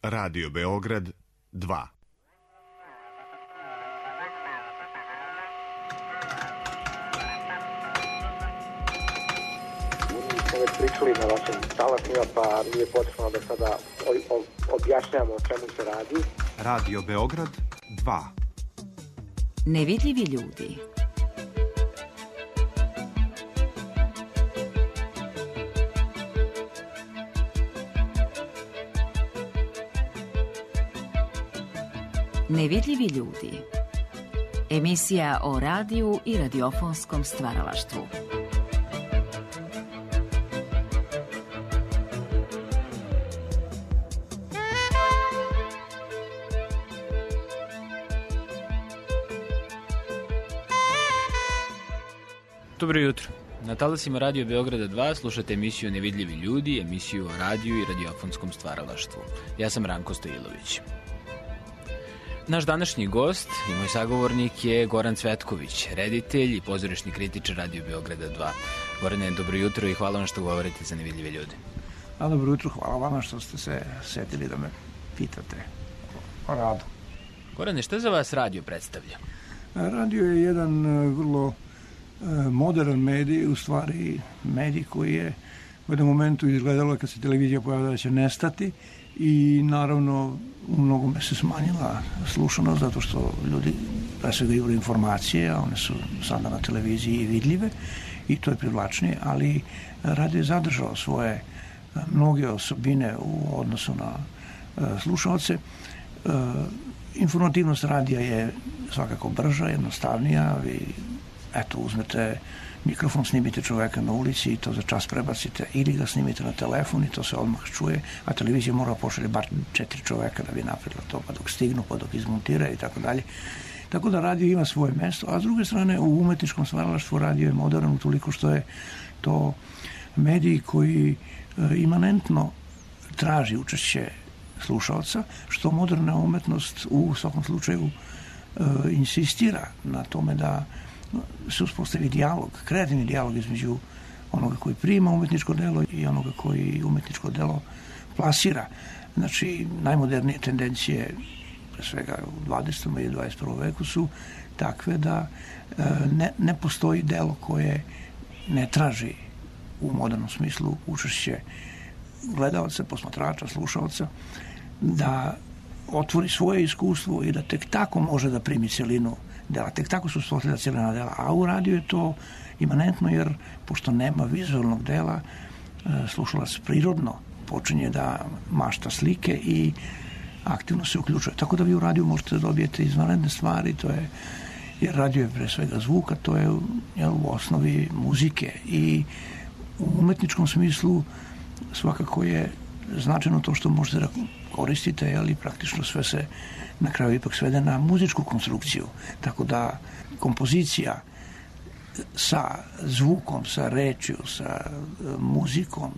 Radio Beograd 2. Smo već pričali na vašim talasima, pa nije potrebno da sada objašnjamo o čemu se radi. Radio Beograd 2. Nevidljivi ljudi. Nevidljivi ljudi. Emisija o radiju i radiofonskom stvaralaštvu. Dobro jutro. Na talasima Radio Beograda 2 slušate emisiju Nevidljivi ljudi, emisiju o radiju i radiofonskom stvaralaštvu. Ja sam Ranko Stojilović. Naš današnji gost i moj sagovornik je Goran Cvetković, reditelj i pozorišni kritičar Radio Beograda 2. Gorane, dobro jutro i hvala vam što govorite za Nevidljive ljude. Dobro jutro, hvala vama što ste se setili da me pitate o radu. Gorane, šta za vas radio predstavlja? Radio je jedan vrlo modern medij, u stvari medij koji je u jednom momentu izgledalo kad se televizija pojavila da će nestati i naravno u mnogome se smanjila slušanost zato što ljudi pre svega imaju informacije, a one su sada na televiziji vidljive i to je privlačnije, ali radio je zadržao svoje mnoge osobine u odnosu na slušalce. Informativnost radija je svakako brža, jednostavnija, vi uzmete mikrofon, snimite čoveka na ulici i to za čas prebacite ili ga snimite na telefon i to se odmah čuje, a televizija mora pošalje bar 4 čoveka da bi napravila to, pa dok stignu, pa dok izmontiraju i tako dalje. Tako da radio ima svoje mesto, a s druge strane u umetničkom stvaralaštvu radio je modern utoliko što je to medij koji imanentno traži učešće slušalca, što moderna umetnost u svakom slučaju insistira na tome da se uspostavi dijalog, kreativni dijalog između onoga koji prima umetničko delo i onoga koji umetničko delo plasira. Znači, najmodernije tendencije, pre svega u 20. i 21. veku su takve da ne postoji delo koje ne traži u modernom smislu učešće gledalca, posmatrača, slušalca, da otvori svoje iskustvo i da tek tako može da primi celinu dela. Tek tako su stvorila celina dela. A u radiju je to imanentno jer pošto nema vizualnog dela, slušalac prirodno počinje da mašta slike i aktivno se uključuje. Tako da vi u radiju možete da dobijete izvanredne stvari, to je, jer radio je pre svega zvuka, to je u osnovi muzike i u umetničkom smislu svakako je značajno to što možete da koristite, ali praktično sve se na kraju ipak svede na muzičku konstrukciju. Tako da kompozicija sa zvukom, sa rečju, sa muzikom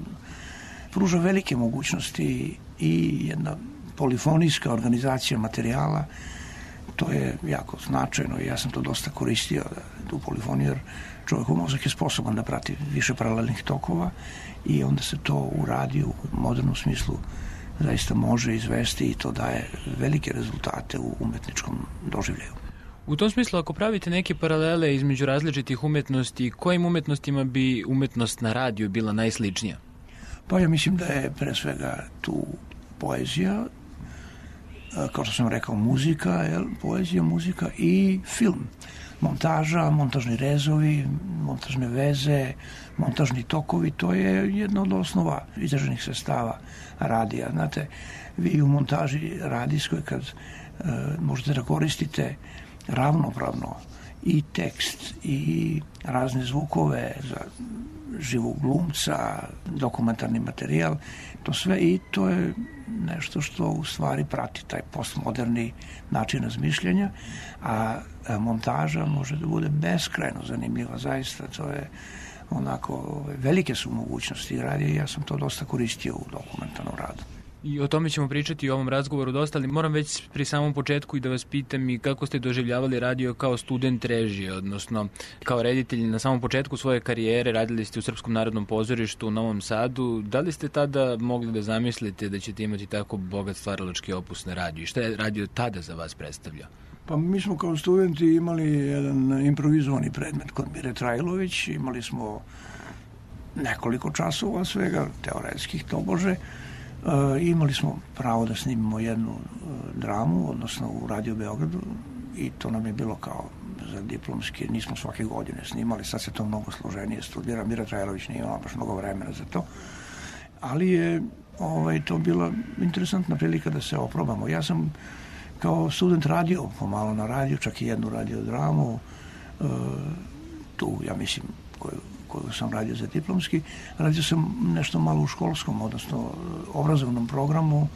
pruža velike mogućnosti i jedna polifonijska organizacija materijala. To je jako značajno i ja sam to dosta koristio, tu polifoniju, jer čovjekov mozak je sposoban da prati više paralelnih tokova i onda se to u radiju u modernom smislu zaista može izvesti i to daje velike rezultate u umetničkom doživljaju. U tom smislu, ako pravite neke paralele između različitih umetnosti, kojim umetnostima bi umetnost na radiju bila najsličnija? Pa ja mislim da je pre svega tu poezija, kao što sam rekao, muzika, poezija, muzika i film. Montaža, montažni rezovi, montažne veze, montažni tokovi, to je jedna od osnova izraženih sredstava radija. Znate, vi u montaži radijskoj kad možete da koristite ravnopravno i tekst i razne zvukove za živog glumca, dokumentarni materijal, to sve i to je nešto što u stvari prati taj postmoderni način razmišljanja, a montaža može da bude beskrajno zanimljiva, zaista to je onako, velike su mogućnosti radija i ja sam to dosta koristio u dokumentarnom radu. I o tome ćemo pričati u ovom razgovoru dosta, ali moram već pri samom početku i da vas pitam i kako ste doživljavali radio kao student režije, odnosno kao reditelj na samom početku svoje karijere, radili ste u Srpskom narodnom pozorištu u Novom Sadu. Da li ste tada mogli da zamislite da ćete imati tako bogat stvaralački opus na radiju? I šta je radio tada za vas predstavlja? Pa mi smo kao studenti imali jedan improvizovani predmet kod Mire Trajlović, imali smo nekoliko časova svega, teoretskih tobože. Imali smo pravo da snimimo jednu dramu, odnosno u Radio Beogradu, i to nam je bilo kao za diplomski, nismo svake godine snimali, sad se to mnogo složenije studira, Mira Trajlović nije imala baš mnogo vremena za to, ali je to bila interesantna prilika da se oprobamo. Ja sam kao student radio pomalo na radiju, čak i jednu radiodramu, tu, ja mislim, koju sam radio za diplomski. Radio sam nešto malo u školskom, odnosno obrazovnom programu,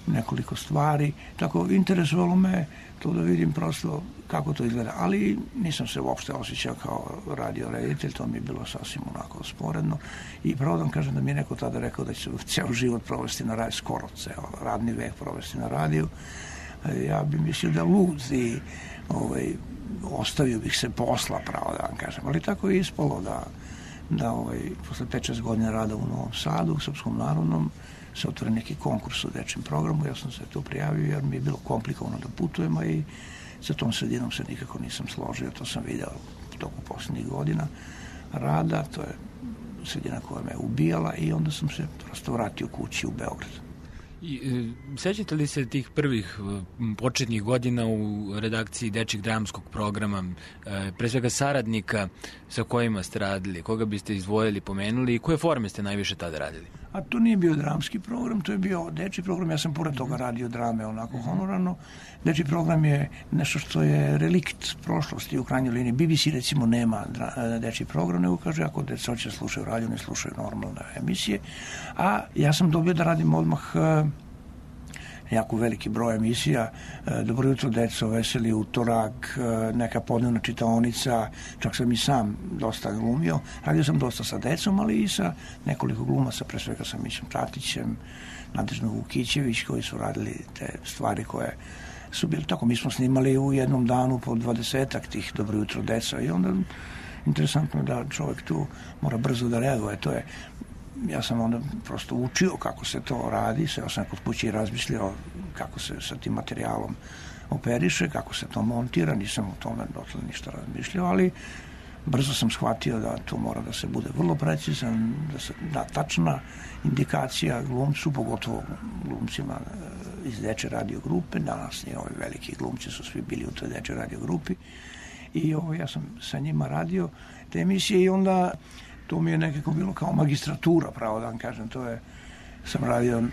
nekoliko stvari. Tako, interesovalo me to da vidim prosto kako to izgleda. Ali nisam se uopšte osjećao kao radio reditelj, to mi je bilo sasvim onako sporedno. I pravo da vam kažem da mi je neko tada rekao da će ceo život provesti na radiju, skoro ceo radni vek provesti na radiju. Ja bih mislio da lud i ostavio bih se posla, pravo da vam kažem. Ali tako je ispalo da posle 5-6 godina rada u Novom Sadu, u Srpskom narodnom, se otvore neki konkurs u dečjem programu. Ja sam se tu prijavio jer mi je bilo komplikovano da putujem, i sa tom sredinom se nikako nisam složio. To sam video u toku posljednjih godina rada. To je sredina koja me ubijala, i onda sam se prosto vratio kući u Beograd. Sećate li se tih prvih početnih godina u redakciji dečjeg dramskog programa, pre svega saradnika sa kojima ste radili, koga biste izdvojili, pomenuli, i koje forme ste najviše tada radili? A to nije bio dramski program, to je bio dečji program. Ja sam pored toga radio drame onako honorarno. Dečji program je nešto što je relikt prošlosti u krajnjoj liniji. BBC recimo nema dečji program, nego kaže ako deca hoće slušaju radio, ne slušaju normalne emisije. A ja sam dobio da radim odmah jako veliki broj emisija. Dobro jutro deco, Veseli utorak, neka podnevna čitaonica, čak sam i sam dosta glumio. Radio sam dosta sa decom, ali i sa nekoliko glumaca, pre svega sa Mićom Čatićem, Nadežnom Vukićević, koji su radili te stvari koje su bili tako. Mi smo snimali u jednom danu po 20-ak tih Dobro jutro deca, i onda interesantno da čovjek tu mora brzo da reaguje. To je, ja sam onda prosto učio kako se to radi, ja sam kod kući razmišljao kako se sa tim materijalom operiše, kako se to montira, nisam o tome dotle ništa razmišljao, ali brzo sam shvatio da to mora da se bude vrlo precizan, da se da tačna indikacija glumcu, pogotovo glumcima iz dečje radio grupe. Danas i ovi veliki glumci su svi bili u toj dečje radio grupi, i ja sam sa njima radio te emisije, i onda to mi je nekako bilo kao magistratura, pravo da vam kažem. To je, sam radio,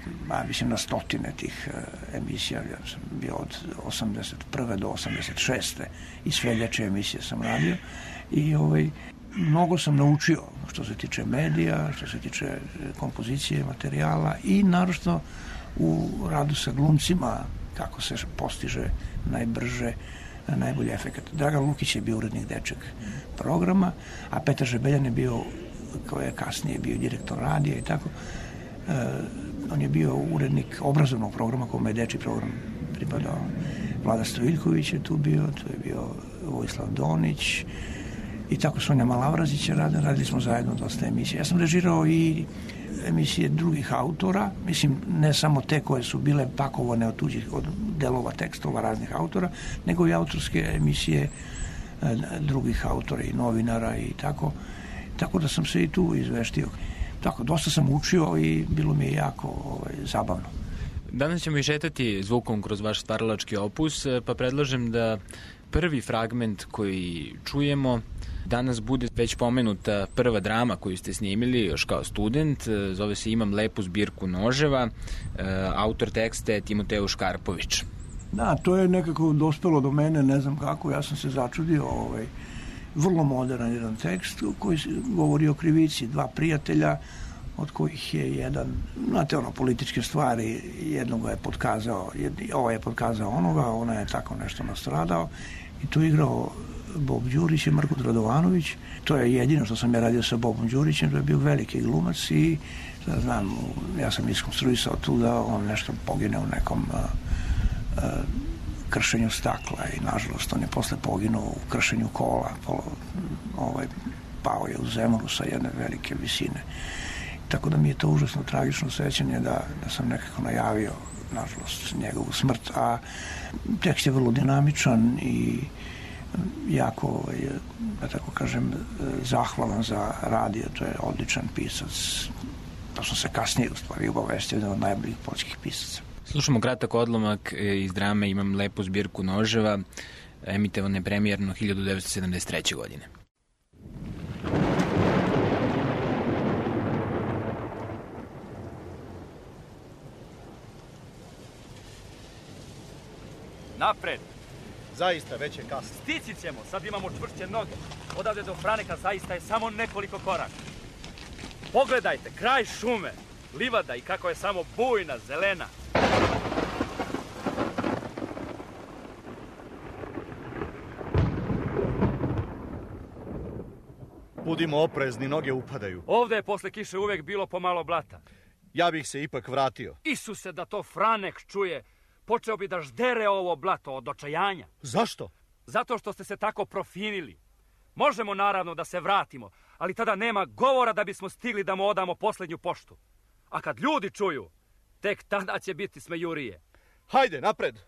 mislim, na stotine tih emisija. Ja sam bio od 81. do 86. i sve dečje emisije sam radio, i mnogo sam naučio što se tiče medija, što se tiče kompozicije materijala, i naročito u radu sa glumcima, kako se postiže najbrže najbolji efekt. Dragan Lukić je bio urednik dečjeg programa, a Petar Žebeljan je bio, koji je kasnije bio direktor radija i tako, on je bio urednik obrazovnog programa kome je dečji program pripadao. Vlada Stojiljković je tu bio, tu je bio Vojislav Donić i tako Sonja Malavrazić je radili smo zajedno dosta emisija. Ja sam režirao i emisije drugih autora, mislim ne samo te koje su bile pakovane od delova tekstova raznih autora, nego i autorske emisije drugih autora i novinara i tako da sam se i tu izveštio. Tako, dosta sam učio i bilo mi je jako zabavno. Danas ćemo išetati zvukom kroz vaš stvaralački opus, pa predlažem da prvi fragment koji čujemo danas bude već pomenuta prva drama koju ste snimili još kao student, zove se Imam lepu zbirku noževa, autor teksta je Timoteo Škarpović. Da, to je nekako dospelo do mene, ne znam kako, ja sam se začudio, vrlo modern jedan tekst koji govori o krivici dva prijatelja, od kojih je jedan, znate političke stvari, jednoga je potkazao, ovaj je potkazao onoga, ona je tako nešto nastradao i tu igrao Bob Đurić i Mrkut Radovanović. To je jedino što sam ja radio sa Bobom Đurićem, to je bio veliki glumac i znam, ja sam iskonstruisao tu da on nešto pogine u nekom kršenju stakla i nažalost on je posle poginuo u kršenju kola, pao je u zemlju sa jedne velike visine. Tako da mi je to užasno tragično sećanje da sam nekako najavio, nažalost, njegovu smrt, a tekst je vrlo dinamičan i jako, da tako kažem, zahvalan za radio, to je odličan pisac. To sam se kasnije u stvari obavestio jedan od najboljih poljskih pisaca. Slušamo kratak odlomak iz drame Imam lepu zbirku noževa, emitovane premijerno 1973. godine. Napred! Zaista, već je kasno. Stići ćemo, sad imamo čvršće noge. Odavde do Franeka zaista je samo nekoliko koraka. Pogledajte, kraj šume, livada i kako je samo bujna, zelena. Budimo oprezni, noge upadaju. Ovde je posle kiše uvek bilo pomalo blata. Ja bih se ipak vratio. Isuse, da to Franek čuje. Počeo bi da ždere ovo blato od očajanja. Zašto? Zato što ste se tako profinili. Možemo naravno da se vratimo, ali tada nema govora da bismo stigli da mu odamo poslednju poštu. A kad ljudi čuju, tek tada će biti smejurije. Hajde, napred!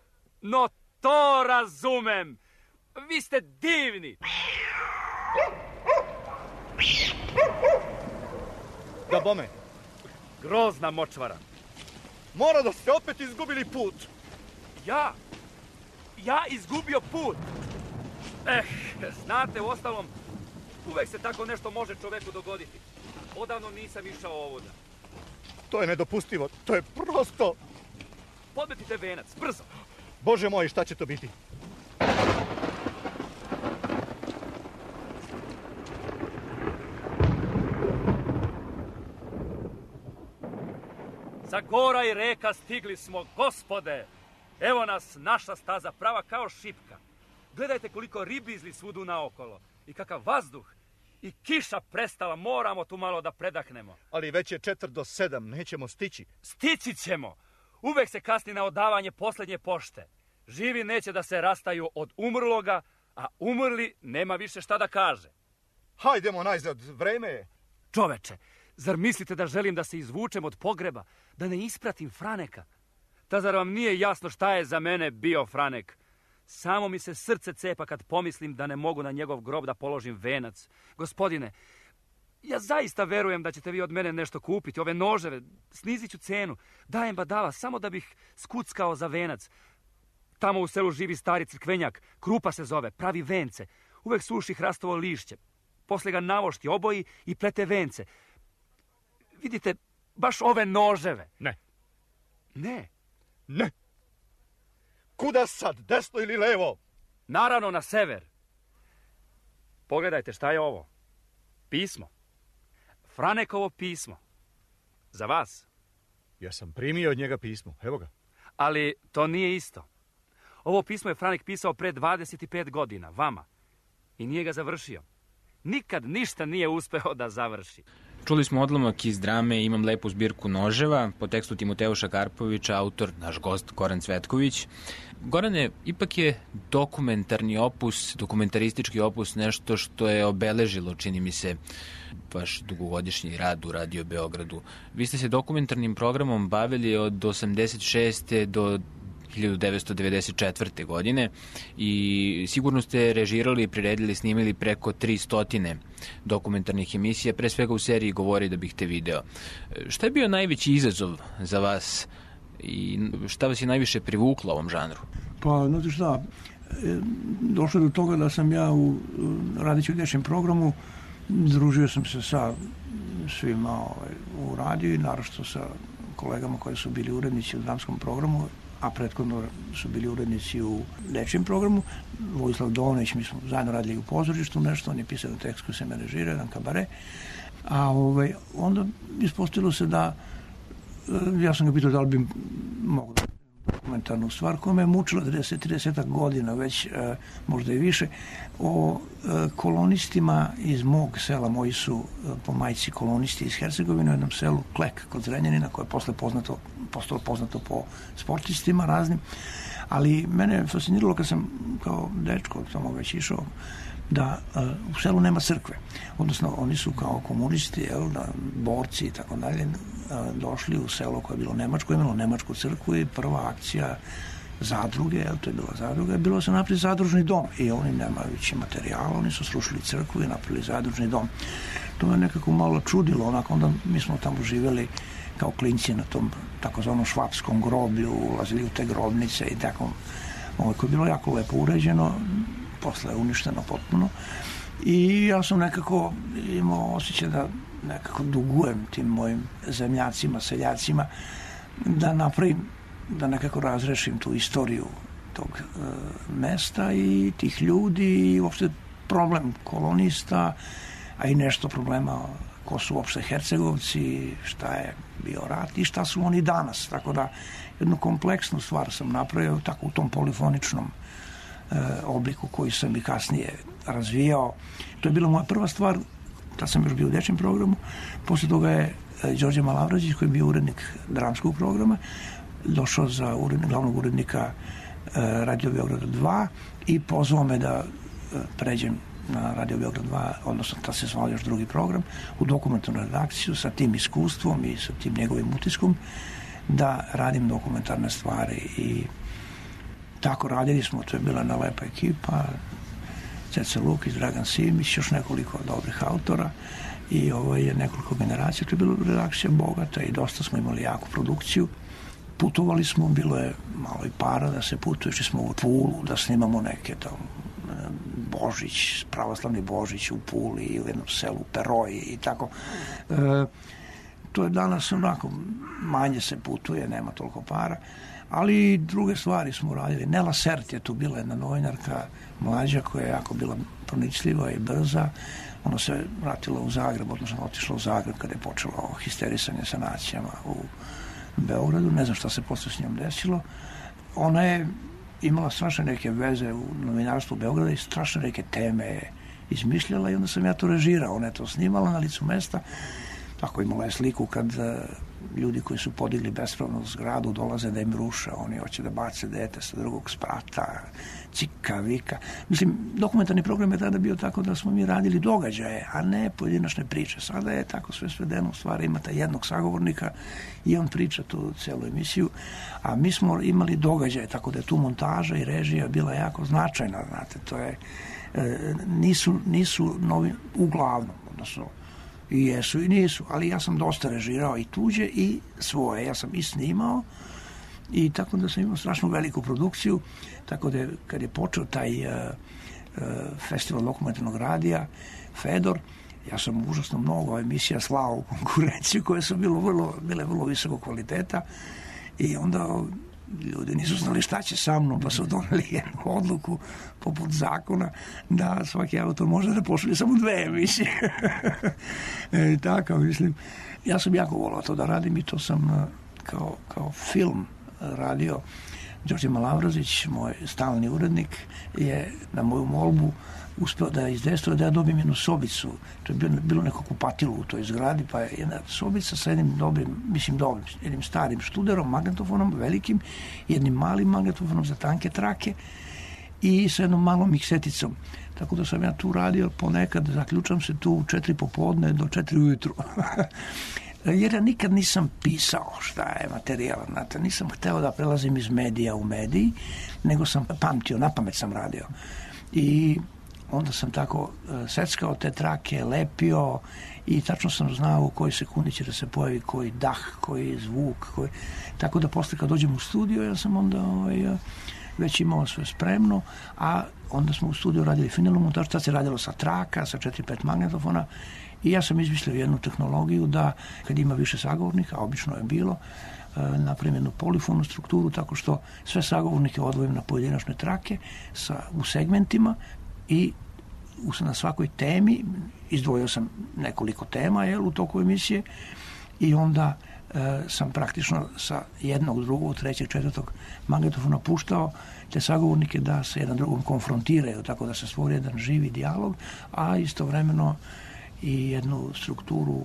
No to razumem! Vi ste divni! Da bome! Grozna močvara. Mora da ste opet izgubili put! Ja izgubio put. Znate, uostalom, uvek se tako nešto može čoveku dogoditi. Odavno nisam išao ovuda. To je nedopustivo, to je prosto... Podmetite venac, brzo. Bože moj, šta će to biti? Sa gora i reka stigli smo, gospode. Evo nas, naša staza, prava kao šipka. Gledajte koliko ribizli svudu naokolo. I kakav vazduh. I kiša prestala, moramo tu malo da predahnemo. Ali već je 6:45, nećemo stići. Stići ćemo. Uvek se kasni na odavanje poslednje pošte. Živi neće da se rastaju od umrloga, a umrli nema više šta da kaže. Hajdemo najzad, vreme je. Čoveče, zar mislite da želim da se izvučem od pogreba, da ne ispratim Franeka? Ta zar vam nije jasno šta je za mene bio Franek? Samo mi se srce cepa kad pomislim da ne mogu na njegov grob da položim venac. Gospodine, ja zaista verujem da ćete vi od mene nešto kupiti, ove noževe, snizit ću cenu, dajem badava samo da bih skuckao za venac. Tamo u selu živi stari crkvenjak, Krupa se zove, pravi vence, uvek suši hrastovo lišće, posle ga navošti, oboji i plete vence. Vidite, baš ove noževe. Ne. Ne. Ne. Kuda sad, desno ili levo? Naravno na sever. Pogledajte šta je ovo. Pismo. Franekovo pismo. Za vas. Ja sam primio od njega pismo, evo ga. Ali to nije isto. Ovo pismo je Franek pisao pre 25 godina, vama. I nije ga završio. Nikad ništa nije uspeo da završi. Čuli smo odlomak iz drame Imam lepu zbirku noževa, po tekstu Timoteuša Karpovića, autor, naš gost, Goran Cvetković. Gorane, ipak je dokumentarni opus, dokumentaristički opus nešto što je obeležilo, čini mi se, vaš dugogodišnji rad u Radio Beogradu. Vi ste se dokumentarnim programom bavili od 86. do 1994. godine i sigurno ste režirali i priredili, snimili preko 300 dokumentarnih emisija, pre svega u seriji Govori da bih te video. Šta je bio najveći izazov za vas i šta vas je najviše privuklo ovom žanru? Pa, znate šta, došlo do toga da sam ja radeći u dječjem programu, družio sam se sa svima u radiju i naročito sa kolegama koji su bili urednici u dramskom programu, a prethodno su bili urednici u dečjem programu. Vojislav Dovnić, mi smo zajedno radili u pozorištu nešto, on je pisao tekst koji se me režira, jedan kabare. A onda ispostavilo se da, ja sam ga pitao da li bi mogo dokumentarnu stvar koja me je mučila 30 godina, već možda i više, o kolonistima iz mog sela. Moji su po majci kolonisti iz Hercegovine u jednom selu Klek kod Zrenjanina, koje je posle postalo poznato po sportistima raznim. Ali mene je fasciniralo kad sam kao dečko tamo već išao da u selu nema crkve. Odnosno, oni su kao komunisti, borci i tako dalje, došli u selo koje je bilo nemačko, imalo nemačku crkvu i prva akcija zadruge, to je bila zadruga, bilo se napraviti zadružni dom i oni nemajući materijala, oni su srušili crkvu i napravili zadružni dom. To me nekako malo čudilo, onako onda mi smo tamo živjeli kao klinci na tom takozvanom švapskom groblju, ulazili u te grobnice i tako, koje je bilo jako lepo uređeno, posle je uništeno potpuno i ja sam nekako imao osjećaj da nekako dugujem tim mojim zemljacima, seljacima, da napravim, da nekako razrešim tu istoriju tog mesta i tih ljudi i uopšte problem kolonista, a i nešto problema ko su uopšte Hercegovci, šta je bio rat i šta su oni danas. Tako da jednu kompleksnu stvar sam napravio tako u tom polifoničnom obliku koji sam i kasnije razvijao. To je bila moja prva stvar, tad sam još bio u dečjem programu. Posle toga je Đorđe Malavrađić, koji je bio urednik dramskog programa, došao za glavnog urednika Radio Beograd 2 i pozvao me da pređem na Radio Beograd 2, odnosno tad se zvao još drugi program, u dokumentarnu redakciju sa tim iskustvom i sa tim njegovim utiskom da radim dokumentarne stvari i tako radili smo, to je bila jedna lepa ekipa, Ceca Lukić, Dragan Simić, još nekoliko dobrih autora i nekoliko generacija. To je bila redakcija bogata i dosta smo imali jaku produkciju. Putovali smo, bilo je malo i para da se putuje, išli smo u Pulu da snimamo neke tamo Božić, pravoslavni Božić u Puli i u jednom selu Peroji i tako. To je danas onako, manje se putuje, nema toliko para, ali i druge stvari smo radili. Nela Sert je tu bila jedna novinarka mlađa koja je jako bila pronicljiva i brza. Ona se vratila u Zagreb, odnosno otišla u Zagreb kada je počelo histerisanje sa nacijama u Beogradu. Ne znam šta se posle s njom desilo. Ona je imala strašne neke veze u novinarstvu Beograda i strašne neke teme je izmišljala i onda sam ja to režirao. Ona je to snimala na licu mesta. Tako imala je sliku kad ljudi koji su podigli bespravnu zgradu dolaze da im ruše, oni hoće da bace dete sa drugog sprata, cika, vika. Mislim, dokumentarni program je tada bio tako da smo mi radili događaje, a ne pojedinačne priče. Sada je tako sve svedeno, u stvari imate jednog sagovornika i on priča tu celu emisiju, a mi smo imali događaje, tako da je tu montaža i režija bila jako značajna, znate, to je, nisu novi, uglavnom, odnosno, i jesu i nisu, ali ja sam dosta režirao i tuđe i svoje. Ja sam i snimao i tako da sam imao strašno veliku produkciju, tako da kad je počeo taj festival dokumentarnog radija Fedor, ja sam užasno mnogo emisija slao u konkurenciju koje su bile vrlo visokog kvaliteta i onda ljudi nisu znali šta će sa mnom, pa su doneli jednu odluku poput zakona da svaki autor može da pošalje samo 2 emisije. Tako, mislim, ja sam jako volao to da radim i to sam kao film radio. Đorđe Malavrazić, moj stalni urednik, je na moju molbu uspeo da izdejstvuje da ja dobijem jednu sobicu. To je bilo neko kupatilo u toj zgradi, pa je jedna sobica sa jednim jednim starim študerom, magnetofonom velikim, jednim malim magnetofonom za tanke trake i sa jednom malom mikseticom. Tako da sam ja tu radio ponekad, zaključam se tu u 4 popodne do 4 ujutru. Jer ja nikad nisam pisao šta je materijal, znate, nisam hteo da prelazim iz medija u mediji, nego sam pamtio, na pamet sam radio. I onda sam tako seckao te trake, lepio i tačno sam znao u kojoj sekundi će da se pojavi koji dah, koji zvuk, tako da posle kad dođem u studio ja sam onda već imao sve spremno, a onda smo u studiju radili finalnu montažu, tad se radilo sa traka, sa 4-5 magnetofona i ja sam izmislio jednu tehnologiju da kad ima više sagovornika, a obično je bilo, napravim jednu polifonu strukturu tako što sve sagovornike odvojim na pojedinačne trake u segmentima i na svakoj temi izdvojio sam nekoliko tema u toku emisije i onda sam praktično sa jednog, drugog, trećeg, četvrtog magnetofona puštao te sagovornike da se jedan drugom konfrontiraju, tako da se stvori jedan živi dijalog, a istovremeno i jednu strukturu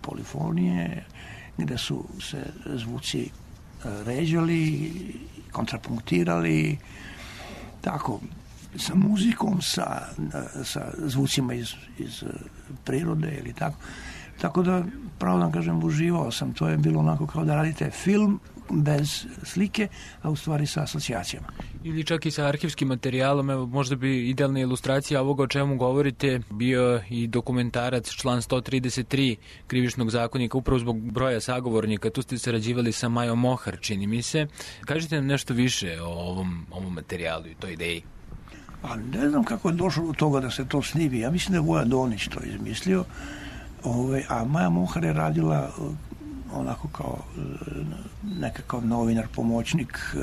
polifonije gde su se zvuci ređali, kontrapunktirali, tako, sa muzikom, sa zvucima iz prirode ili tako. Tako da, pravo da kažem, uživao sam. To je bilo onako kao da radite film bez slike, a u stvari sa asocijacijama. Ili čak i sa arhivskim materijalom. Evo, možda bi idealna ilustracija ovoga o čemu govorite bio i dokumentarac član 133 Krivičnog zakonika, upravo zbog broja sagovornika. Tu ste sarađivali sa Majom Mohar, čini mi se. Kažite nam nešto više o ovom materijalu i toj ideji. Pa ne znam kako je došlo do toga da se to snimi. Ja mislim da je Voja Donić to izmislio, a Maja Mohar je radila onako kao nekakav novinar, pomoćnik,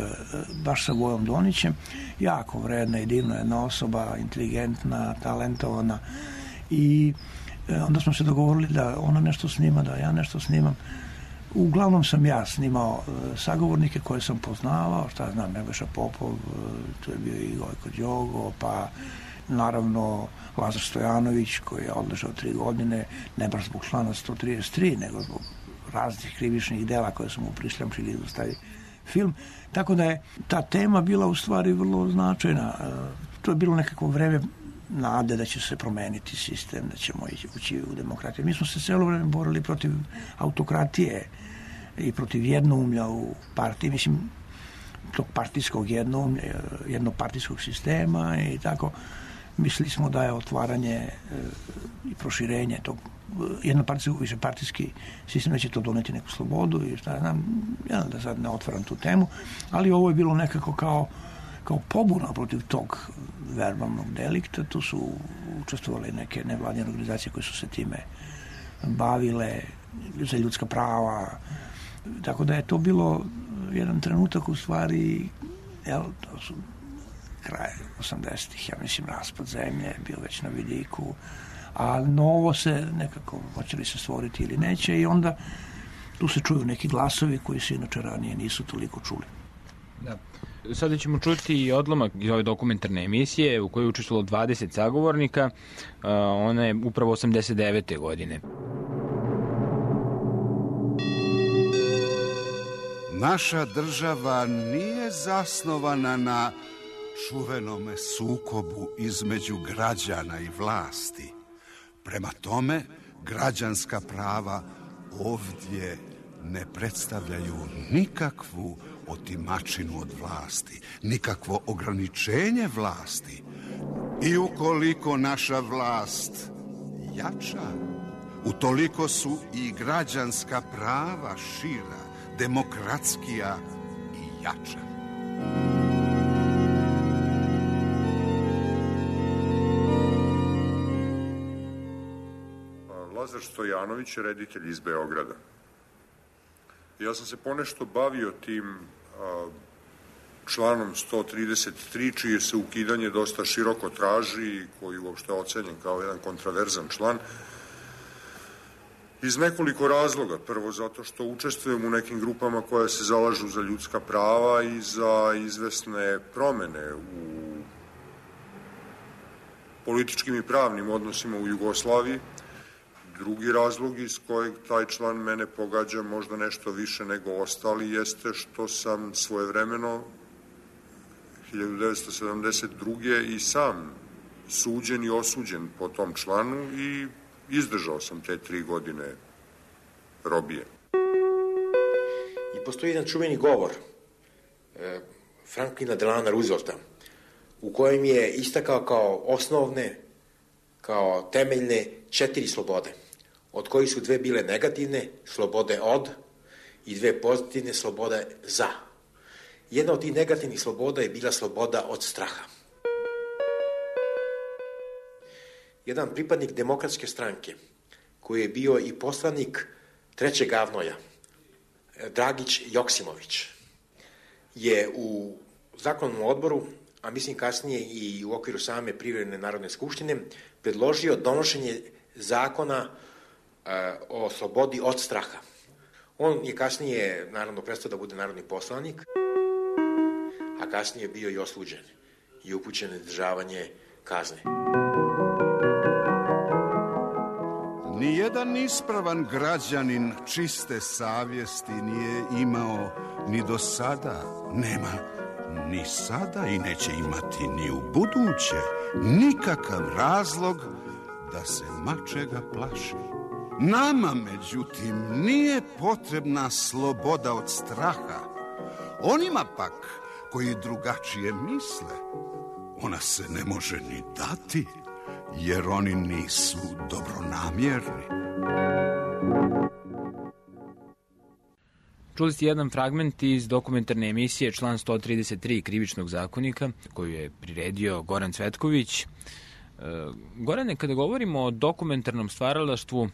baš sa Vojom Donićem. Jako vredna i divna jedna osoba, inteligentna, talentovana. I onda smo se dogovorili da ona nešto snima, da ja nešto snimam. Uglavnom sam ja snimao sagovornike koje sam poznavao, šta znam, Nebojša Popov, tu je bio i Gojko Đogo, pa naravno Lazar Stojanović koji je odležao 3 godine, ne baš zbog člana 133, nego zbog raznih krivičnih dela koje su mu prišljamčili da stavi film. Tako da je ta tema bila u stvari vrlo značajna. To je bilo nekako vreme nade da će se promeniti sistem, da ćemo ući u demokratiju. Mi smo se celo vreme borili protiv autokratije i protiv jednoumlja u partiji, mislim, tog partijskog jednoumlja, jednopartijskog sistema i tako. Mislili smo da je otvaranje i proširenje tog jednopartijskog, višepartijski sistem, da će to doneti neku slobodu i šta znam, ja da sad ne otvaram tu temu, ali ovo je bilo nekako kao pobuna protiv tog verbalnog delikta. Tu su učestvovali neke nevladine organizacije koje su se time bavile za ljudska prava. Tako da je to bilo jedan trenutak u stvari, to su kraj 80-ih, ja mislim, raspad zemlje bio već na vidiku, a novo se nekako hoće li se stvoriti ili neće i onda tu se čuju neki glasovi koji se inače ranije nisu toliko čuli. Da. Sada ćemo čuti i odlomak iz ove dokumentarne emisije u kojoj je učestvovalo 20 sagovornika. Ona je upravo 89. godine. Naša država nije zasnovana na čuvenome sukobu između građana i vlasti. Prema tome, građanska prava ovdje ne predstavljaju nikakvu otimačinu od vlasti, nikakvo ograničenje vlasti. I ukoliko naša vlast jača, utoliko su i građanska prava šira, demokratskija i jača. Lazar Stojanović je reditelj iz Beograda. Ja sam se ponešto bavio tim članom 133, čije se ukidanje dosta široko traži i koji uopšte je ocenjen kao jedan kontraverzan član, iz nekoliko razloga. Prvo, zato što učestvujem u nekim grupama koje se zalažu za ljudska prava i za izvesne promene u političkim i pravnim odnosima u Jugoslaviji. Drugi razlog iz kojeg taj član mene pogađa možda nešto više nego ostali jeste što sam svojevremeno 1972. i sam suđen i osuđen po tom članu i izdržao sam te 3 godine robije. I postoji jedan čuveni govor Franklina Delana Roosevelta u kojem je istakao kao osnovne, kao temeljne 4 slobode, od kojih su 2 bile negativne, slobode od, i 2 pozitivne, slobode za. Jedna od tih negativnih sloboda je bila sloboda od straha. Jedan pripadnik Demokratske stranke, koji je bio i poslanik 3. Avnoja, Dragić Joksimović, je u zakonnom odboru, a mislim kasnije i u okviru same Privremene Narodne skupštine, predložio donošenje zakona o slobodi od straha. On je kasnije, naravno, prestao da bude narodni poslanik, a kasnije bio i osuđen i upućen na izdržavanje kazne. Nijedan ispravan građanin čiste savjesti nije imao ni do sada, nema ni sada i neće imati ni u buduće nikakav razlog da se mačega plaši. Nama, međutim, nije potrebna sloboda od straha. Onima pak koji drugačije misle, ona se ne može ni dati, jer oni nisu dobronamjerni. Čuli ste jedan fragment iz dokumentarne emisije član 133 Krivičnog zakonika, koju je priredio Goran Cvetković. Gorane, kada govorimo o dokumentarnom stvaralaštvu,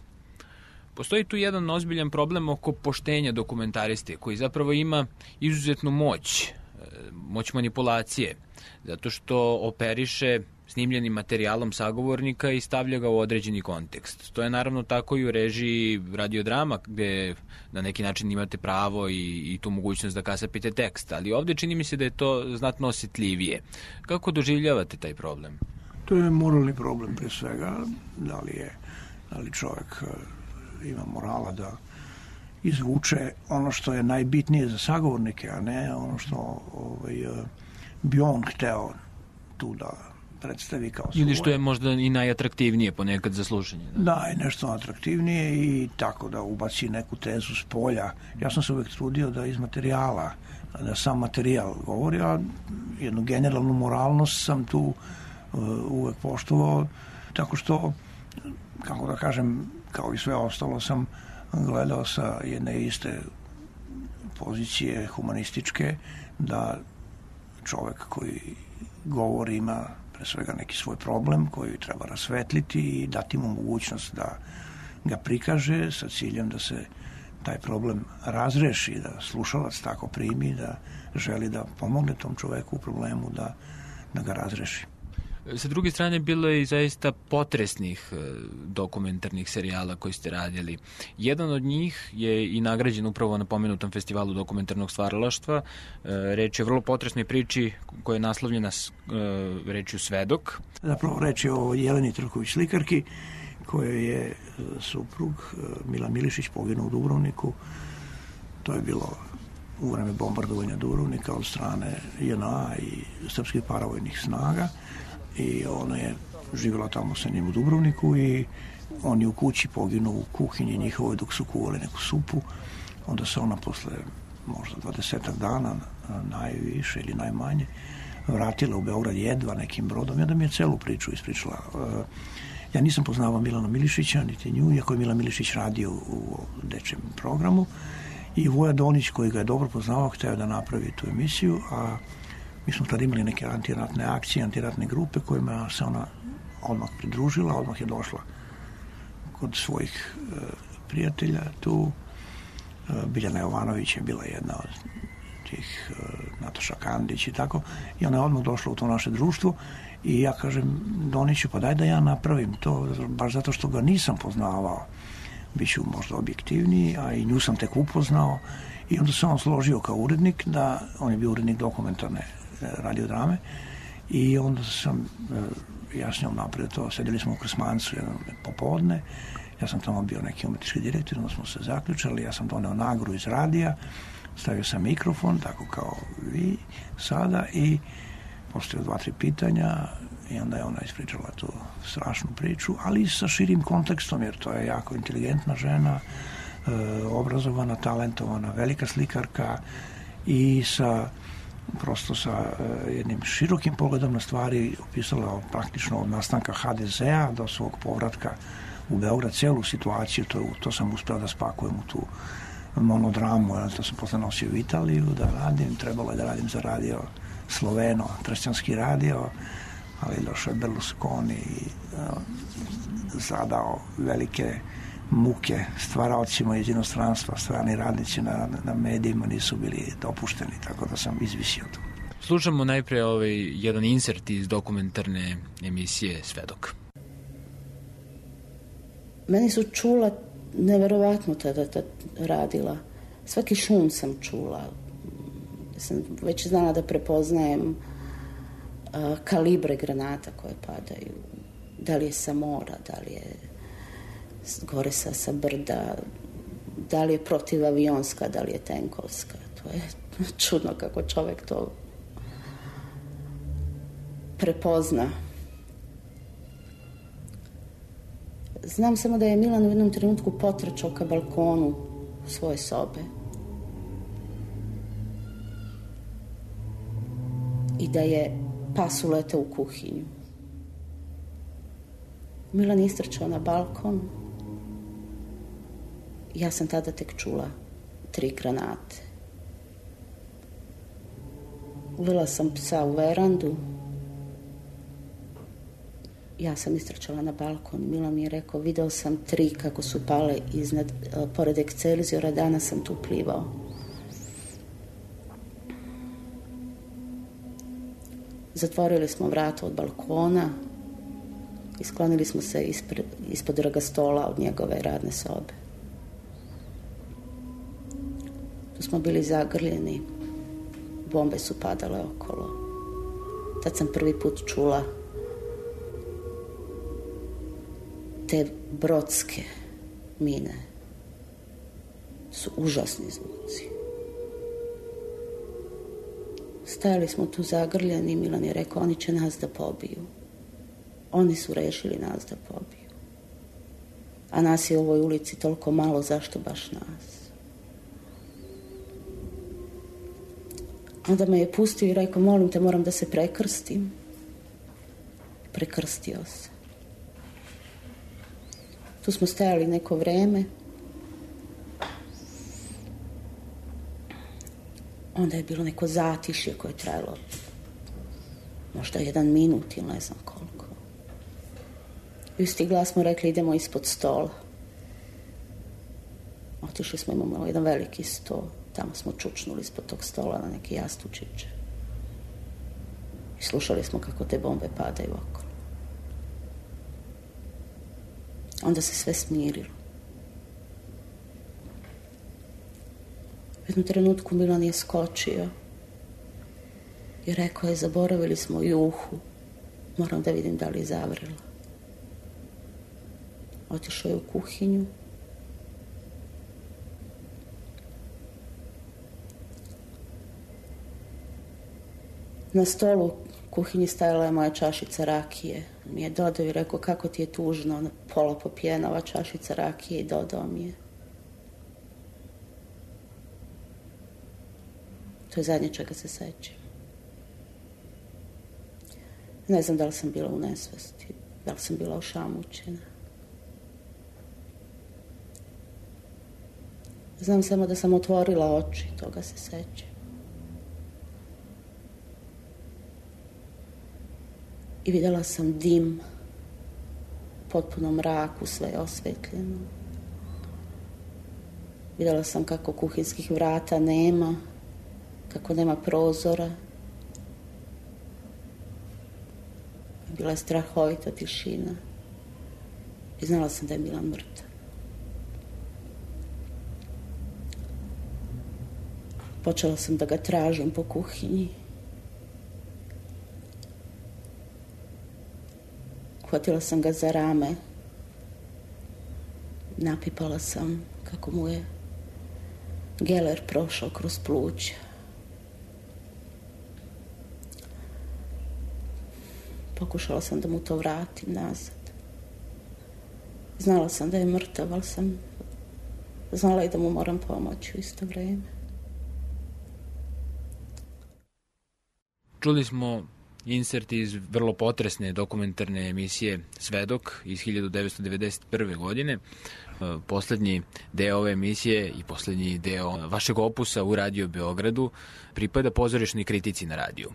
postoji tu jedan ozbiljan problem oko poštenja dokumentariste, koji zapravo ima izuzetnu moć manipulacije, zato što operiše snimljenim materijalom sagovornika i stavlja ga u određeni kontekst. To je naravno tako i u režiji radiodrama, gde na neki način imate pravo i tu mogućnost da kasapite tekst, ali ovde čini mi se da je to znatno osjetljivije. Kako doživljavate taj problem? To je moralni problem pre svega, da li čovjek ima morala da izvuče ono što je najbitnije za sagovornike, a ne ono što bi on hteo tu da predstavi kao svoje. Ili što je možda i najatraktivnije ponekad za slušanje. Da, i nešto atraktivnije i tako da ubaci neku tezu s polja. Ja sam se uvek trudio da iz materijala, da sam materijal govori, a jednu generalnu moralnost sam tu uvek poštovao, tako što, kako da kažem, kao i sve ostalo sam gledao sa jedne iste pozicije humanističke, da čovek koji govori ima pre svega neki svoj problem koji treba rasvetliti i dati mu mogućnost da ga prikaže sa ciljem da se taj problem razreši, da slušalac tako primi, da želi da pomogne tom čoveku u problemu da ga razreši. Sa druge strane, bilo je i zaista potresnih dokumentarnih serijala koji ste radili. Jedan od njih je i nagrađen upravo na pomenutom festivalu dokumentarnog stvaralaštva. Reč je o vrlo potresnoj priči koja je naslovljena rečju Svedok. Zapravo reč je o Jeleni Trković slikarki, kojoj je suprug Milan Milišić poginuo u Dubrovniku. To je bilo u vreme bombardovanja Dubrovnika od strane JNA i srpskih paravojnih snaga. I ona je živjela tamo sa njim u Dubrovniku i on je u kući poginuo u kuhinji njihovoj dok su kuvali neku supu. Onda se ona posle možda 20 dana, najviše ili najmanje, vratila u Beograd jedva nekim brodom. Ja da mi je celu priču ispričala. Ja nisam poznavao Milana Milišića, niti nju, iako je Milan Milišić radio u dečjem programu. I Voja Donić, koji ga je dobro poznavao, hteo da napravi tu emisiju, a mi smo tada imali neke antiratne akcije, antiratne grupe kojima se ona odmah pridružila, odmah je došla kod svojih prijatelja tu. Biljana Jovanović je bila jedna od tih, Nataša Kandić i tako, i ona je odmah došla u to naše društvo i ja kažem Doniću, pa daj da ja napravim to, baš zato što ga nisam poznavao, biću možda objektivniji, a i nju sam tek upoznao. I onda se on složio kao urednik, da on je bio urednik dokumentarne radiodrame i onda sam ja s njom napravio to, sedeli smo u Krsmancu jedan popodne, ja sam tamo bio neki umetnički direktor, onda smo se zaključali, ja sam doneo nagru iz radija, stavio sam mikrofon, tako kao vi sada, i postavio 2-3 pitanja i onda je ona ispričala tu strašnu priču, ali sa širim kontekstom, jer to je jako inteligentna žena, obrazovana, talentovana, velika slikarka i sa jednim širokim pogledom na stvari opisala praktično od nastanka HDZ-a do svog povratka u Beograd, celu situaciju. To sam uspeo da spakujem u tu monodramu, to sam posle nosio u Italiju da radim, trebalo je da radim za radio Sloveno, Tršćanski radio, ali došao je Berlusconi i zadao velike muke stvaraocima iz inostranstva, strani radnici na medijima nisu bili dopušteni, tako da sam izvisio tu. Slušamo najpre jedan insert iz dokumentarne emisije Svedok. Meni su čula neverovatno tada radila. Svaki šum sam čula. Sam već znala da prepoznajem kalibre granata koje padaju. Da li je sa mora, da li je gore sa brda, da li je protivavionska, da li je tenkovska. To je čudno kako čovjek to prepozna. Znam samo da je Milan u jednom trenutku potrčao ka balkonu svoje sobe. I da je pas uletao u kuhinju. Milan je istrčao na balkon. Ja sam tada tek čula 3 granate. Uvela sam psa u verandu. Ja sam istrčala na balkon. Milan mi je rekao, video sam 3 kako su pale pored Excelsiora, danas sam tu plivao. Zatvorili smo vrata od balkona i sklonili smo se ispod ragastola od njegove radne sobe. Tu smo bili zagrljeni, bombe su padale okolo. Tad sam prvi put čula te brodske mine. Su užasni zvuci. Stajali smo tu zagrljeni i Milan je rekao, oni će nas da pobiju. Oni su rešili nas da pobiju. A nas je u ovoj ulici toliko malo, zašto baš nas? Onda me je pustio i rekao, molim te, moram da se prekrstim. Prekrstio se. Tu smo stajali neko vreme. Onda je bilo neko zatišje koje je trajalo možda 1 minut ili ne znam koliko. I isti glas smo rekli, idemo ispod stola. Otišli smo, imamo jedan veliki sto. Tamo smo čučnuli ispod tog stola na neke jastučiće. I slušali smo kako te bombe padaju okolo. Onda se sve smirilo. U jednom trenutku Milan je skočio i rekao je, zaboravili smo juhu. Moram da vidim da li je zavrela. Otišao je u kuhinju. Na stolu u kuhinji stajala je moja čašica rakije. Mi je dodao i rekao, kako ti je tužno, pola popijena ova čašica rakije, i dodao mi je. To je zadnje čega se sećam. Ne znam da li sam bila u nesvesti, da li sam bila ošamućena. Znam samo da sam otvorila oči, toga se sećam. I vidjela sam dim, potpuno mraku, sve je osvetljeno. Vidjela sam kako kuhinskih vrata nema, kako nema prozora. Bila je strahovita tišina. I znala sam da je Milan mrtav. Počela sam da ga tražim po kuhinji. Uhvatila sam ga za rame. Napipala sam kako mu je geler prošao kroz pluća. Pokušala sam da mu to vratim nazad. Znala sam da je mrtav, ali sam znala i da mu moram pomoći u isto vrijeme. Čuli smo insert iz vrlo potresne dokumentarne emisije Svedok iz 1991. godine. Poslednji deo ove emisije i poslednji deo vašeg opusa u Radio Beogradu pripada pozorišnoj kritici na radiju.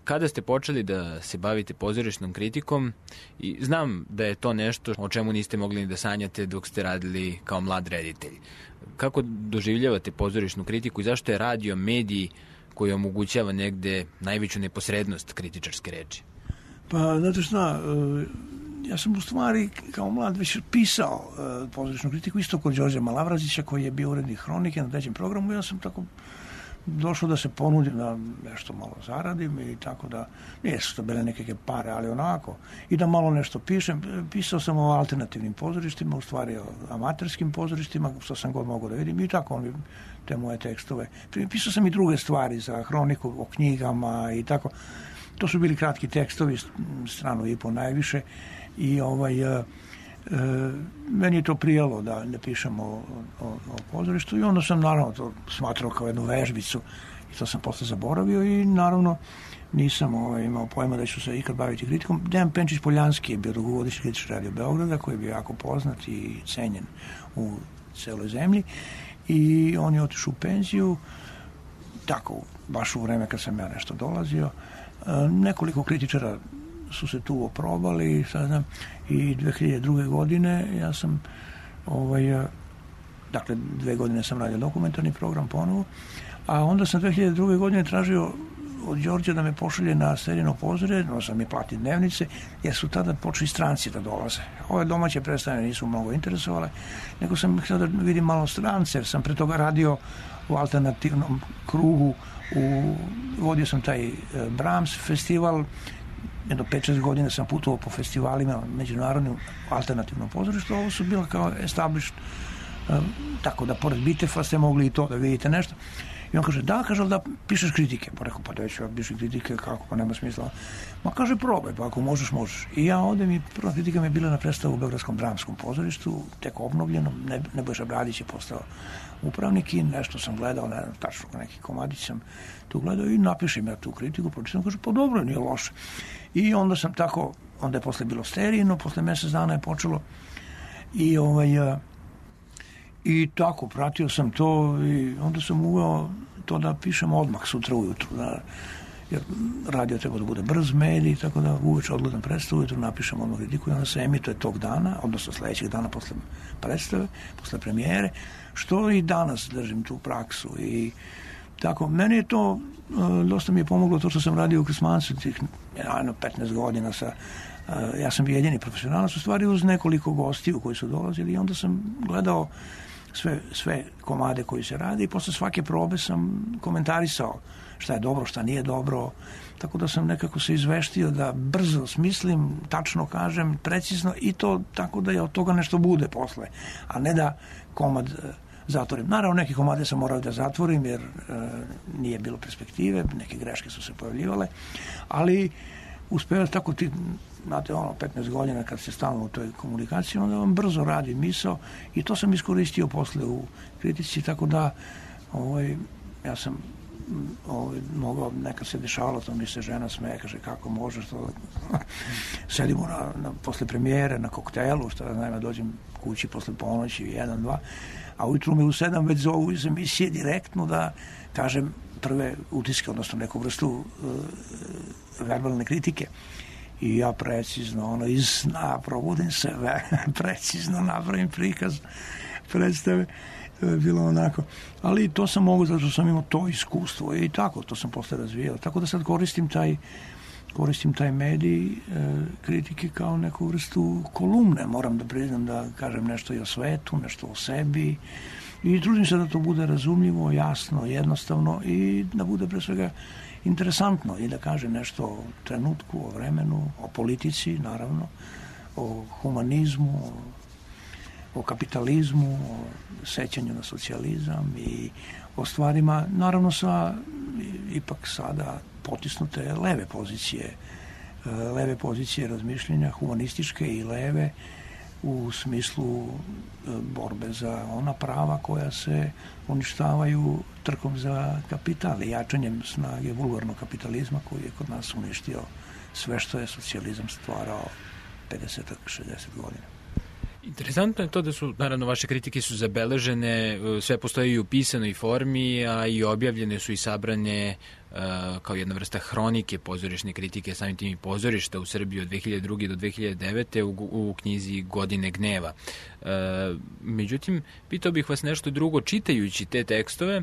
Kada ste počeli da se bavite pozorišnom kritikom, i znam da je to nešto o čemu niste mogli ni da sanjate dok ste radili kao mlad reditelj. Kako doživljavate pozorišnu kritiku i zašto je radio medij koji omogućava negde najveću neposrednost kritičarske reči? Pa, znate šta, ja sam u stvari kao mlad već pisao pozorišnu kritiku, isto kod Đorđa Malavrazića koji je bio urednik Hronike na trećem programu. Ja sam tako došao da se ponudim da nešto malo zaradim i tako da, nisu to bile nekakve pare, ali onako, i da malo nešto pišem. Pisao sam o alternativnim pozorištima, u stvari o amaterskim pozorištima, što sam god mogao da vidim, i tako te moje tekstove. Pisao sam i druge stvari za Hroniku, o knjigama i tako. To su bili kratki tekstovi, stranu i po najviše, i meni je to prijelo da pišem o pozorištu, i onda sam naravno to smatrao kao jednu vežbicu i to sam posle zaboravio, i naravno nisam imao pojma da ću se ikad baviti kritikom. Dejan Penčić-Poljanski je bio dugogodišnji kritičar Radio Beograda, koji je bio jako poznat i cenjen u celoj zemlji, i on je otišao u penziju tako baš u vreme kad sam ja nešto dolazio. Nekoliko kritičara su se tu oprobali, i 2002. godine ja sam dakle 2 godine sam radio dokumentarni program ponovo, a onda sam 2002. godine tražio od Đorđa da me pošalje na Sterijino pozore, no sam mi plati dnevnice, jer su tada počeli stranci da dolaze. Ove domaće predstave nisu mnogo interesovale, nego sam htio da vidim malo strance, jer sam pre toga radio u alternativnom krugu, vodio sam taj Brahms festival, jedno 5-6 godina sam putovao po festivalima međunarodnim alternativnom pozorištu. Ovo su bilo kao established, tako da pored Bitefa ste mogli i to da vidite nešto. I on kaže, da pišeš kritike. Pa rekao, da ću ja pišem kritike, kako, pa nema smisla. Ma kaže, probaj, pa ako možeš. I ja odem, i prva kritika mi je bila na predstavu u Beogradskom dramskom pozorištu, tek obnovljenom. Nebojša Bradić je postao upravnik i nešto sam gledao, ne znam, tačno neki komadić sam tu gledao, i napišem ja tu kritiku, pročitam, kaže, pa dobro, nije loše. I onda sam tako, onda je posle bilo Sterijino, posle mjesec dana je počelo, i tako, pratio sam to, i onda sam uveo to da pišem odmah sutra ujutru, jer radio treba da bude brz medij, tako da uveče odgledam predstavu, ujutru napišem odmah kritiku, i onda se emituje tog dana, odnosno sledećeg dana posle predstave, posle premijere, što i danas držim tu praksu. I tako, meni je to, dosta mi je pomoglo to što sam radio u Krsmancu, tih 15 godina ja sam bio jedini profesionalac, u stvari uz nekoliko gostiju koji su dolazili, i onda sam gledao sve komade koji se rade, i posle svake probe sam komentarisao šta je dobro, šta nije dobro, tako da sam nekako se izveštio da brzo smislim, tačno kažem, precizno, i to tako da je od toga nešto bude posle, a ne da komad zatvorim. Naravno, neke komade sam morao da zatvorim, jer nije bilo perspektive, neke greške su se pojavljivale, ali uspeo tako ti, znate, 15 godina kad se stalno u toj komunikaciji, onda vam brzo radi misao, i to sam iskoristio posle u kritici, tako da ja sam mogao, nekad se dešavalo, to mi se žena smeje, kaže, kako možeš to, sedimo posle premijere na koktelu, što da znam, dođem kući posle ponoći, 1-2, a ujutru me u 7 već zovu iz emisije direktno da kažem prve utiske, odnosno neku vrstu verbalne kritike. I ja precizno, iz sna probudim se, precizno napravim prikaz predstave. To je bilo onako. Ali to sam mogu, zato što sam imao to iskustvo, i tako, to sam posle razvijao. Tako da sad koristim taj medij kritike kao neku vrstu kolumne. Moram da priznam da kažem nešto i o svetu, nešto o sebi, i trudim se da to bude razumljivo, jasno, jednostavno, i da bude pre svega interesantno, i da kaže nešto o trenutku, o vremenu, o politici, naravno, o humanizmu, o kapitalizmu, o sećanju na socijalizam i o stvarima, naravno ipak sada potisnute leve pozicije razmišljenja, humanističke i leve, u smislu borbe za ona prava koja se uništavaju trkom za kapital i jačanjem snage vulgarnog kapitalizma koji je kod nas uništio sve što je socijalizam stvarao 50-60 godina. Interesantno je to da su, naravno, vaše kritike su zabeležene, sve postoji i u pisanoj formi, a i objavljene su i sabrane kao jedna vrsta hronike pozorišne kritike, samim tim i pozorišta u Srbiji od 2002. do 2009. u knjizi Godine gneva. Međutim, pitao bih vas nešto drugo, čitajući te tekstove,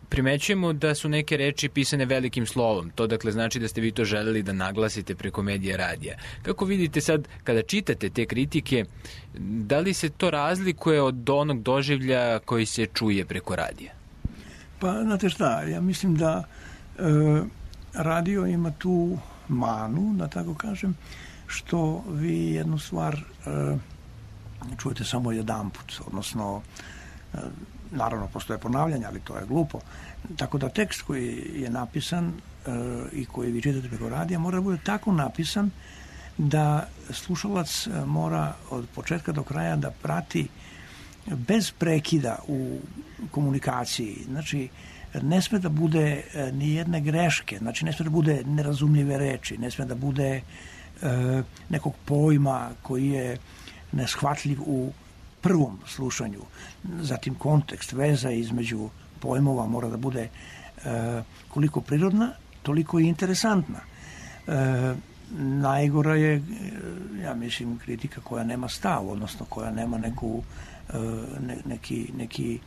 Primećujemo da su neke reči pisane velikim slovom. To dakle znači da ste vi to želeli da naglasite preko medija radija. Kako vidite sad, kada čitate te kritike, da li se to razlikuje od onog doživlja koji se čuje preko radija? Pa, znate šta, ja mislim da radio ima tu manu, da tako kažem, što vi jednu stvar čujete samo jedanput, odnosno naravno postoje ponavljanja, ali to je glupo. Tako da tekst koji je napisan i koji vi čitate preko radija mora da bude tako napisan da slušalac mora od početka do kraja da prati bez prekida u komunikaciji. Znači, ne sme da bude ni jedne greške, znači ne sme da bude nerazumljive reči, ne sme da bude nekog pojma koji je neshvatljiv u prvom slušanju. Zatim kontekst, veza između pojmova mora da bude koliko prirodna, toliko i interesantna. Najgora je, ja mislim, kritika koja nema stav, odnosno koja nema neki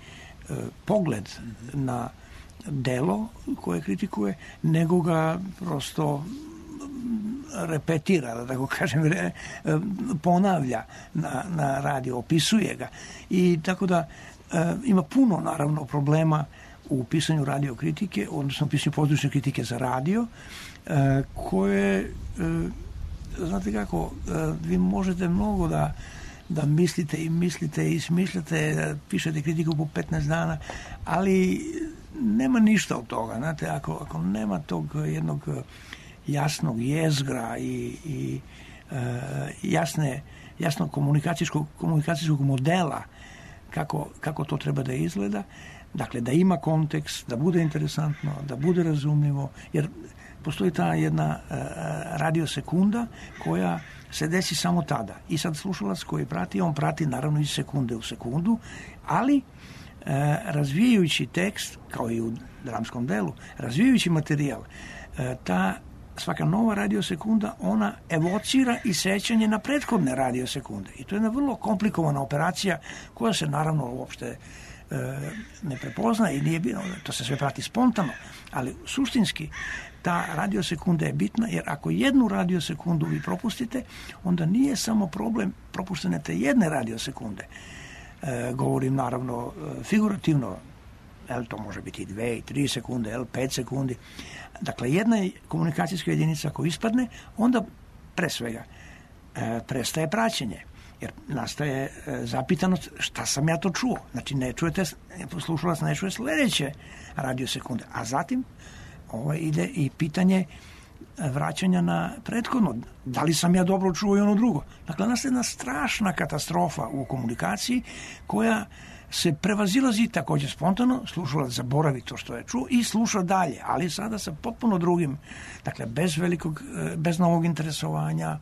pogled na delo koje kritikuje, nego ga prosto repetira, da tako kažem, ponavlja na radio, opisuje ga. I tako da ima puno, naravno, problema u pisanju radiokritike, odnosno u pisanju pozorišne kritike za radio, koje, znate kako, vi možete mnogo da mislite i smišljate, pišete kritiku po 15 dana, ali nema ništa od toga. Znate, ako nema tog jednog jasnog jezgra i jasnog komunikacijskog modela kako to treba da izgleda, dakle da ima kontekst, da bude interesantno, da bude razumljivo, jer postoji ta jedna radiosekunda koja se desi samo tada. I sad slušalac koji prati, on prati naravno iz sekunde u sekundu, ali razvijajući tekst, kao i u dramskom delu, razvijajući materijal, ta svaka nova radiosekunda, ona evocira i sećanje na prethodne radiosekunde. I to je jedna vrlo komplikovana operacija koja se naravno uopšte ne prepozna i nije bilo, to se sve prati spontano, ali suštinski ta radiosekunda je bitna, jer ako jednu radiosekundu vi propustite, onda nije samo problem propuštene te jedne radiosekunde. Govorim naravno figurativno, to može biti 2 i 3 sekunde, 5 sekundi. Dakle, jedna komunikacijska jedinica ako ispadne, onda pre svega prestaje praćenje, jer nastaje zapitanost šta sam ja to čuo. Znači, ne čujete, slušalac ne čuje sledeće radiosekunde, a zatim ide i pitanje vraćanja na prethodno. Da li sam ja dobro čuo i ono drugo? Dakle, nastaje jedna strašna katastrofa u komunikaciji koja se prevazilazi takođe spontano, slušalac zaboravi to što je čuo i sluša dalje, ali sada sa potpuno drugim, dakle bez novog interesovanja,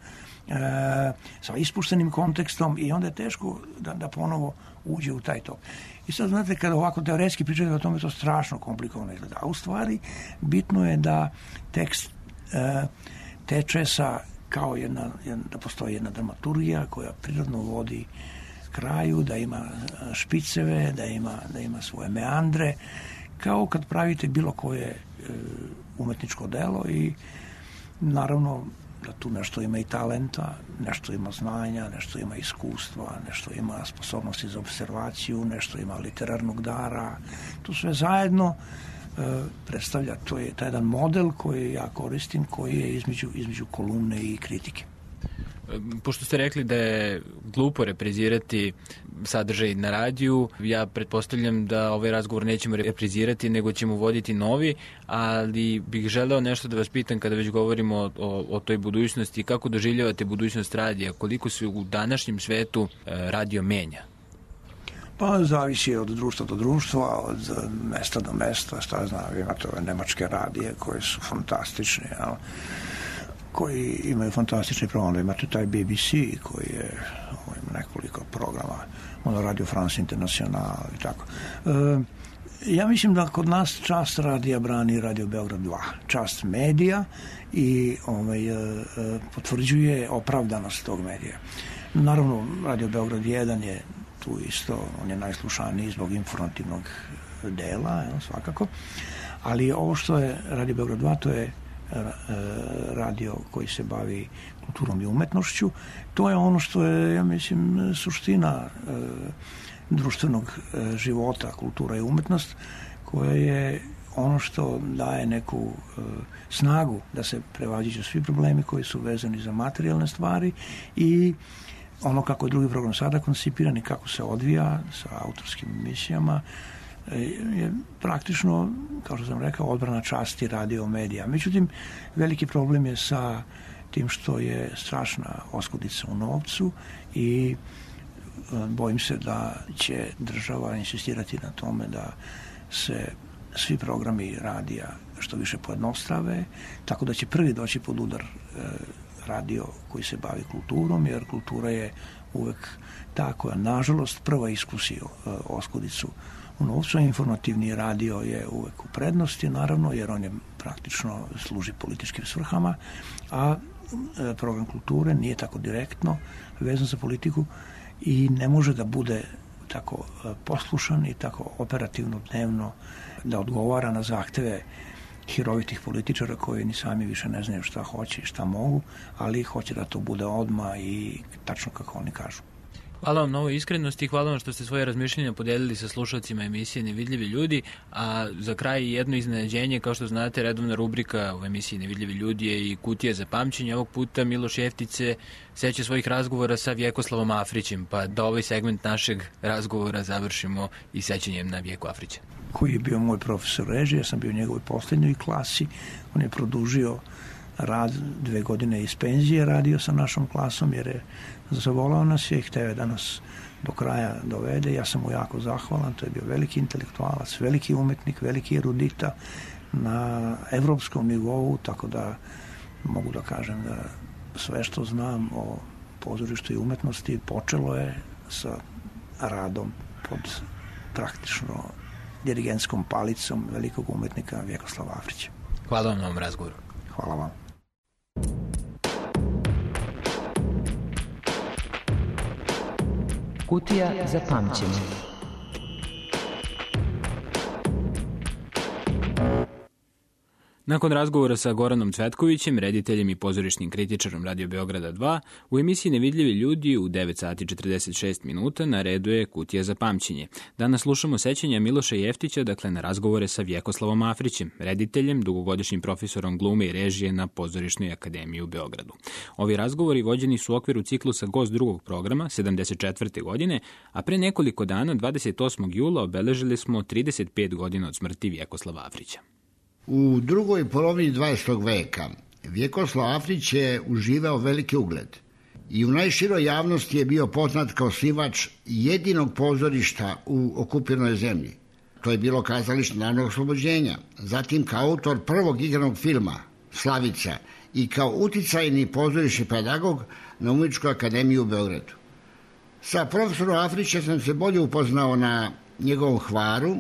sa ispuštenim kontekstom, i onda je teško da ponovo uđe u taj tok. I sad, znate, kada ovako teoretski pričate o tome, to strašno komplikovano izgleda. A u stvari bitno je da tekst teče kao da postoji jedna dramaturgija koja prirodno vodi kraju, da ima špiceve, da ima svoje meandre, kao kad pravite bilo koje umetničko delo, i naravno da tu nešto ima i talenta, nešto ima znanja, nešto ima iskustva, nešto ima sposobnosti za observaciju, nešto ima literarnog dara. To sve zajedno predstavlja, to je taj jedan model koji ja koristim, koji je između kolumne i kritike. Pošto ste rekli da je glupo reprizirati sadržaj na radiju, ja pretpostavljam da ovaj razgovor nećemo reprizirati, nego ćemo voditi novi, ali bih želeo nešto da vas pitam kada već govorimo o toj budućnosti. Kako doživljavate budućnost radija? Koliko se u današnjem svetu radio menja? Pa zavisi od društva do društva, od mesta do mesta, šta znam, imate ove nemačke radije koje su fantastične, koji imaju fantastični program. Imate taj BBC koji je nekoliko programa, Radio France International i tako. Ja mislim da kod nas čast radija brani Radio Beograd 2. Čast medija i potvrđuje opravdanost tog medija. Naravno, Radio Beograd 1 je tu isto, on je najslušaniji zbog informativnog dela, svakako. Ali ovo što je Radio Beograd 2, to je radio koji se bavi kulturom i umetnošću. To je ono što je, ja mislim, suština društvenog života, kultura i umetnost, koja je ono što daje neku snagu da se prevaziđu svi problemi koji su vezani za materijalne stvari i ono kako je drugi program sada koncipiran i kako se odvija sa autorskim emisijama je praktično, kao što sam rekao, odbrana časti radio medija. Međutim, veliki problem je sa tim što je strašna oskudica u novcu i bojim se da će država insistirati na tome da se svi programi radija što više pojednostave, tako da će prvi doći pod udar radio koji se bavi kulturom, jer kultura je uvek ta koja, nažalost, prva iskusi oskudicu u novcu. Informativni radio je uvek u prednosti, naravno, jer on je praktično služi političkim svrhama, a program kulture nije tako direktno vezan za politiku i ne može da bude tako poslušan i tako operativno dnevno da odgovara na zahteve hirovitih političara koji ni sami više ne znaju šta hoće i šta mogu, ali hoće da to bude odmah i tačno kako oni kažu. Hvala vam na ovoj iskrenosti i hvala vam što ste svoje razmišljenja podelili sa slušalcima emisije Nevidljivi ljudi, a za kraj jedno iznenađenje, kao što znate, redovna rubrika u emisiji Nevidljivi ljudi je i Kutija za pamćenje. Ovog puta Miloš Jeftić se seća svojih razgovora sa Vjekoslavom Afrićem, pa da ovaj segment našeg razgovora završimo i sećanjem na Vjeko Afrića. Koji je bio moj profesor režije, ja sam bio u njegovoj poslednjoj klasi, on je produžio rad 2 godine iz penzije, radio sa našom klasom jer je zavolao nas je i hteo da nas do kraja dovede. Ja sam mu jako zahvalan, to je bio veliki intelektualac, veliki umetnik, veliki erudita na evropskom nivou, tako da mogu da kažem da sve što znam o pozorištu i umetnosti počelo je sa radom pod praktično dirigentskom palicom velikog umetnika Vjekoslava Afrića. Hvala vam na ovom razgovoru. Hvala vam. Kutija za pamćenje. Nakon razgovora sa Goranom Cvetkovićem, rediteljem i pozorišnim kritičarom Radio Beograda 2, u emisiji Nevidljivi ljudi u 9 sati 46 minuta na redu je Kutija za pamćenje. Danas slušamo sećanja Miloša Jeftića, dakle na razgovore sa Vjekoslavom Afrićem, rediteljem, dugogodišnjim profesorom glume i režije na Pozorišnoj akademiji u Beogradu. Ovi razgovori vođeni su u okviru ciklusa Gost drugog programa 74. godine, a pre nekoliko dana, 28. jula, obeležili smo 35 godina od smrti Vjekoslava Afrića. U drugoj polovini 20. veka Vjekoslav Afrić je uživao veliki ugled i u najširoj javnosti je bio poznat kao osnivač jedinog pozorišta u okupiranoj zemlji. To je bilo Kazalište narodnog oslobođenja. Zatim kao autor prvog igranog filma Slavica i kao uticajni pozorišni pedagog na Umetničkoj akademiji u Beogradu. Sa profesorom Afrića sam se bolje upoznao na njegovom Hvaru,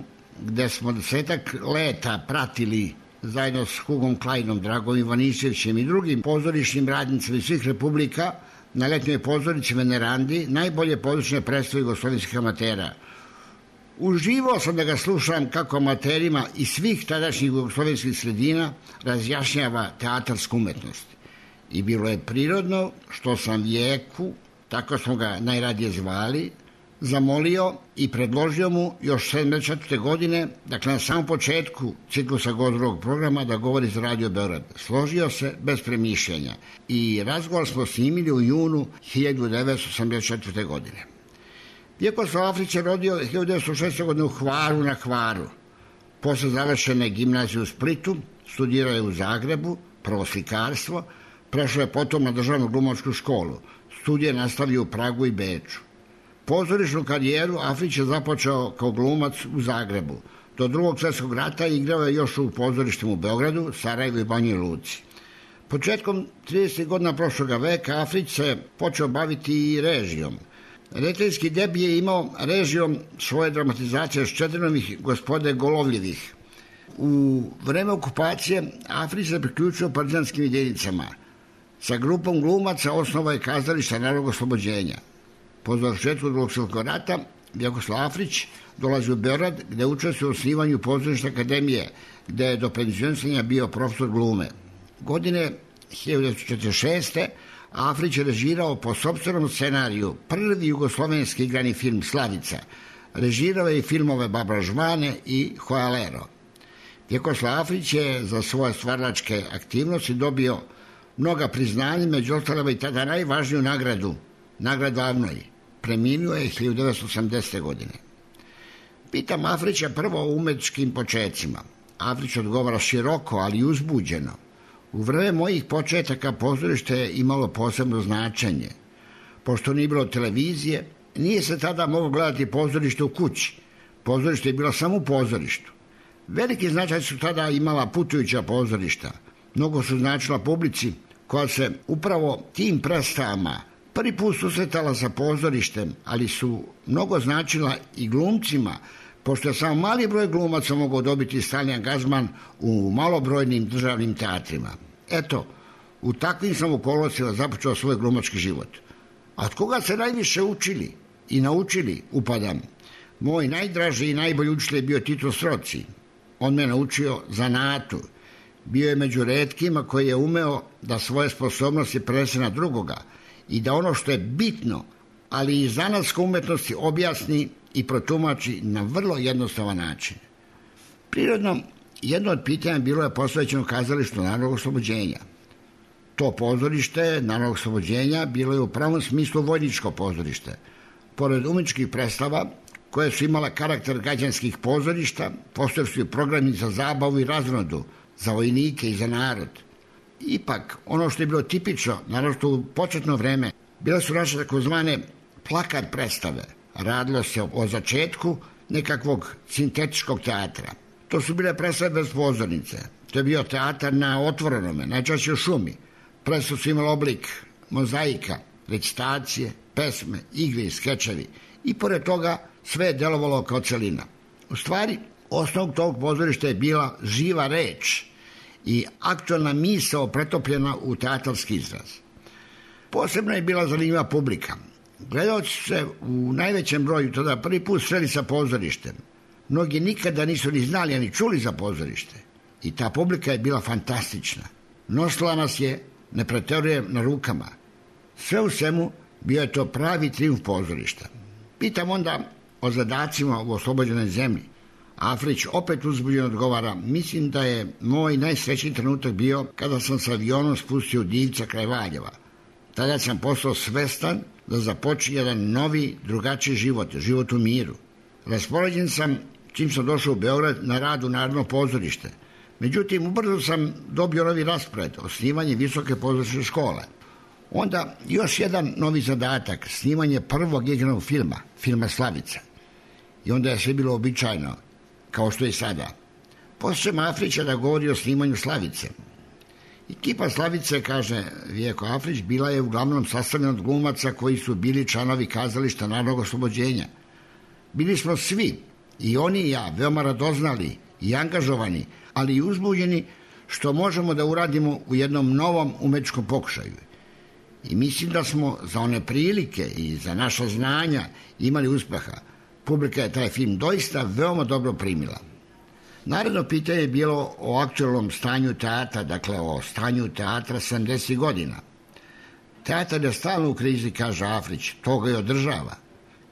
gde smo 10 leta pratili zajedno s Hugom Kleinom, Dragom Ivaniševićem i drugim pozorišnim radnicima iz svih republika na letnjoj pozorici Venerandi najbolje pozorišne predstave jugoslovenskih amatera. Uživao sam da ga slušam kako amaterima iz svih tadašnjih jugoslovenskih sredina razjašnjava teatarsku umetnost. I bilo je prirodno što sam Vjeku, tako smo ga najradije zvali, zamolio i predložio mu još 74. godine, dakle na samom početku ciklusa Gost drugog programa, da govori za Radio Beograd. Složio se bez premišljenja i razgovor smo snimili u junu 1984. godine. Vjekoslav Afrić je rodio 1906. godine u Hvaru na Hvaru. Posle završene gimnazije u Splitu, studirao je u Zagrebu, prvo slikarstvo, prešao je potom na državnu glumačku školu. Studije nastavio u Pragu i Beču. Pozorišnu karijeru Afrić je započeo kao glumac u Zagrebu. Do Drugog svjetskog rata igrao je još u pozorištima u Beogradu, Sarajevu i Banji Luci. Početkom 30. godina prošloga veka Afrić se počeo baviti i režijom. Rediteljski debi je imao režijom svoje dramatizacije Ščedrinovih Gospode Golovljevih. U vreme okupacije Afrić se priključio partizanskim jedinicama. Sa grupom glumaca osnovao je Kazalište narodnog oslobođenja. Po završetku Drugog svjetskog rata Vjekoslav Afrić dolazi u Beograd gde učestvuje u osnivanju pozorišne akademije, gde je do penzionisanja bio profesor glume. Godine 1946. Afrić je režirao po sopstvenom scenariju prvi jugoslovenski igrani film Slavica. Režirao je i filmove Baba Žvane i Hoalero. Vjekoslav Afrić je za svoje stvaralačke aktivnosti dobio mnoga priznanja, među ostalima i tada najvažniju nagradu Avnoj. Preminuo je 1980. godine. Pitam Afrića prvo o umetničkim početcima. Afrić odgovara široko, ali uzbuđeno. U vreme mojih početaka pozorište je imalo posebno značenje. Pošto nije bilo televizije, nije se tada moglo gledati pozorište u kući. Pozorište je bilo samo u pozorištu. Veliki značaj su tada imala putujuća pozorišta. Mnogo su značila publici koja se upravo tim predstavama prvi put susretala sa pozorištem, ali su mnogo značila i glumcima, pošto je samo mali broj glumaca mogao dobiti stalni angažman u malobrojnim državnim teatrima. Eto, u takvim sam okolnostima započeo svoj glumački život. A od koga se najviše učili i naučili, upadam. Moj najdraži i najbolji učitelj je bio Tito Stroci. On me naučio zanatu. Bio je među retkima koji je umeo da svoje sposobnosti prenese na drugoga i da ono što je bitno, ali i zanatske umetnosti objasni i protumači na vrlo jednostavan način. Prirodno, jedno od pitanja bilo je posvećeno kazalištu Narodnog oslobođenja. To pozorište Narodnog oslobođenja bilo je u pravom smislu vojničko pozorište. Pored umetničkih predstava, koje su imala karakter građanskih pozorišta, postojali su i programi za zabavu i razradu, za vojnike i za narod. Ipak, ono što je bilo tipično, naravno u početno vreme, bile su naše takozvane plakat predstave. Radilo se o začetku nekakvog sintetičkog teatra. To su bile predstave bez pozornice. To je bio teatar na otvorenome, najčešće u šumi. Predstave su imali oblik mozaika, recitacije, pesme, igre i skečevi. I pored toga sve je delovalo kao celina. U stvari, osnov tog pozorišta je bila živa reč i aktualna misao pretopljena u teatarski izraz. Posebno je bila zanimljiva publika. Gledaoci su se u najvećem broju tada prvi put sreli sa pozorištem. Mnogi nikada nisu ni znali, ani čuli za pozorište. I ta publika je bila fantastična. Nosila nas je, ne preterujem, na rukama. Sve u svemu bio je to pravi trijumf pozorišta. Pitam onda o zadacima u oslobođenoj zemlji. Afrić opet uzbuđeno odgovara, mislim da je moj najsrećniji trenutak bio kada sam sa avionom spustio Divca kraj Valjeva. Tada sam postao svestan da započne jedan novi, drugačiji život, život u miru. Raspoređen sam, čim sam došao u Beograd, na rad u Narodno pozorište. Međutim, ubrzo sam dobio novi raspored, osnivanje Visoke pozorišne škole. Onda još jedan novi zadatak, snimanje prvog igranog filma Slavica. I onda je sve bilo običajno, kao što je sada. Poslušam Afrića da govori o snimanju Slavice. Ekipa Slavice, kaže Vjeko Afrić, bila je uglavnom sastavljena od glumaca koji su bili članovi kazališta Narodnog oslobođenja. Bili smo svi, i oni i ja, veoma radoznali i angažovani, ali i uzbuđeni što možemo da uradimo u jednom novom umetničkom pokušaju. I mislim da smo za one prilike i za naša znanja imali uspeha. Publika je taj film doista veoma dobro primila. Naredno pitanje je bilo o aktualnom stanju teatra, dakle o stanju teatra 70 godina. Teatar je stalno u krizi, kaže Afrić, to ga i održava.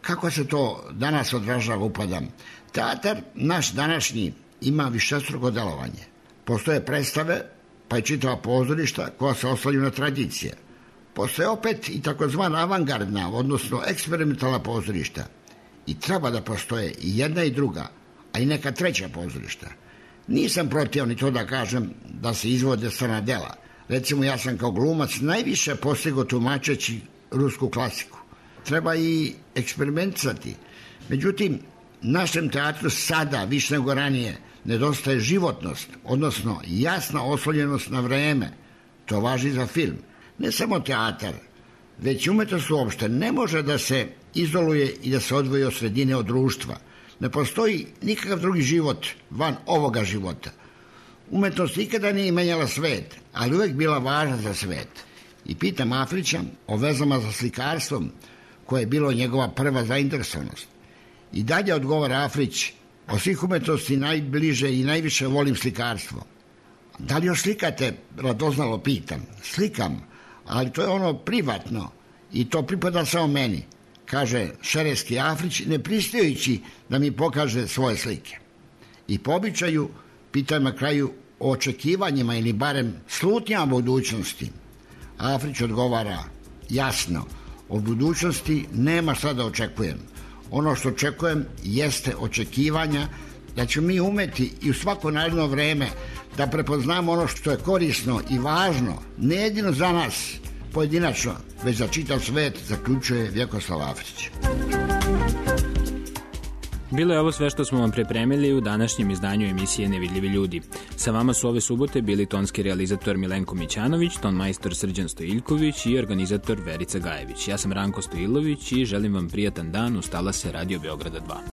Kako se to danas odražava, upadam? Teatar, naš današnji, ima višestruko delovanje. Postoje predstave, pa i čitava pozorišta koja se oslanjaju na tradicije. Postoje opet i takozvana avangardna, odnosno eksperimentalna pozorišta. I treba da postoje i jedna i druga, a i neka treća pozorišta. Nisam protiv ni to da kažem da se izvode strana dela. Recimo, ja sam kao glumac najviše postigao tumačeći rusku klasiku. Treba i eksperimentisati. Međutim, našem teatru sada, više nego ranije, nedostaje životnost, odnosno jasna oslonjenost na vreme. To važi za film. Ne samo teatar, već umetnost uopšte ne može da se izoluje i da se odvoji od sredine, od društva. Ne postoji nikakav drugi život van ovoga života. Umetnost nikada nije menjala svet, ali uvek bila važna za svet. I pitam Afrića o vezama za slikarstvom, koje je bilo njegova prva zainteresovanost. I dalje odgovara Afrić, od svih umetnosti najbliže i najviše volim slikarstvo. Da li još slikate, radoznalo pitam. Slikam, ali to je ono privatno i to pripada samo meni, kaže šereski Afrić, ne pristajući da mi pokaže svoje slike. I po običaju pitam na kraju o očekivanjima ili barem slutnjama budućnosti. Afrić odgovara, jasno, od budućnosti nema šta da očekujem. Ono što očekujem jeste očekivanja da ćemo mi umeti i u svako naredno vreme da prepoznamo ono što je korisno i važno, ne jedino za nas pojedinačno, već za čitav svet, zaključuje Vjekoslav Afrić. Bilo je ovo sve što smo vam pripremili u današnjem izdanju emisije Nevidljivi ljudi. Sa vama su ove subote bili tonski realizator Milenko Mićanović, tonmajstor Srđan Stojiljković i organizator Verica Gajević. Ja sam Ranko Stojilović i želim vam prijatan dan uz talase Radio Beograda 2.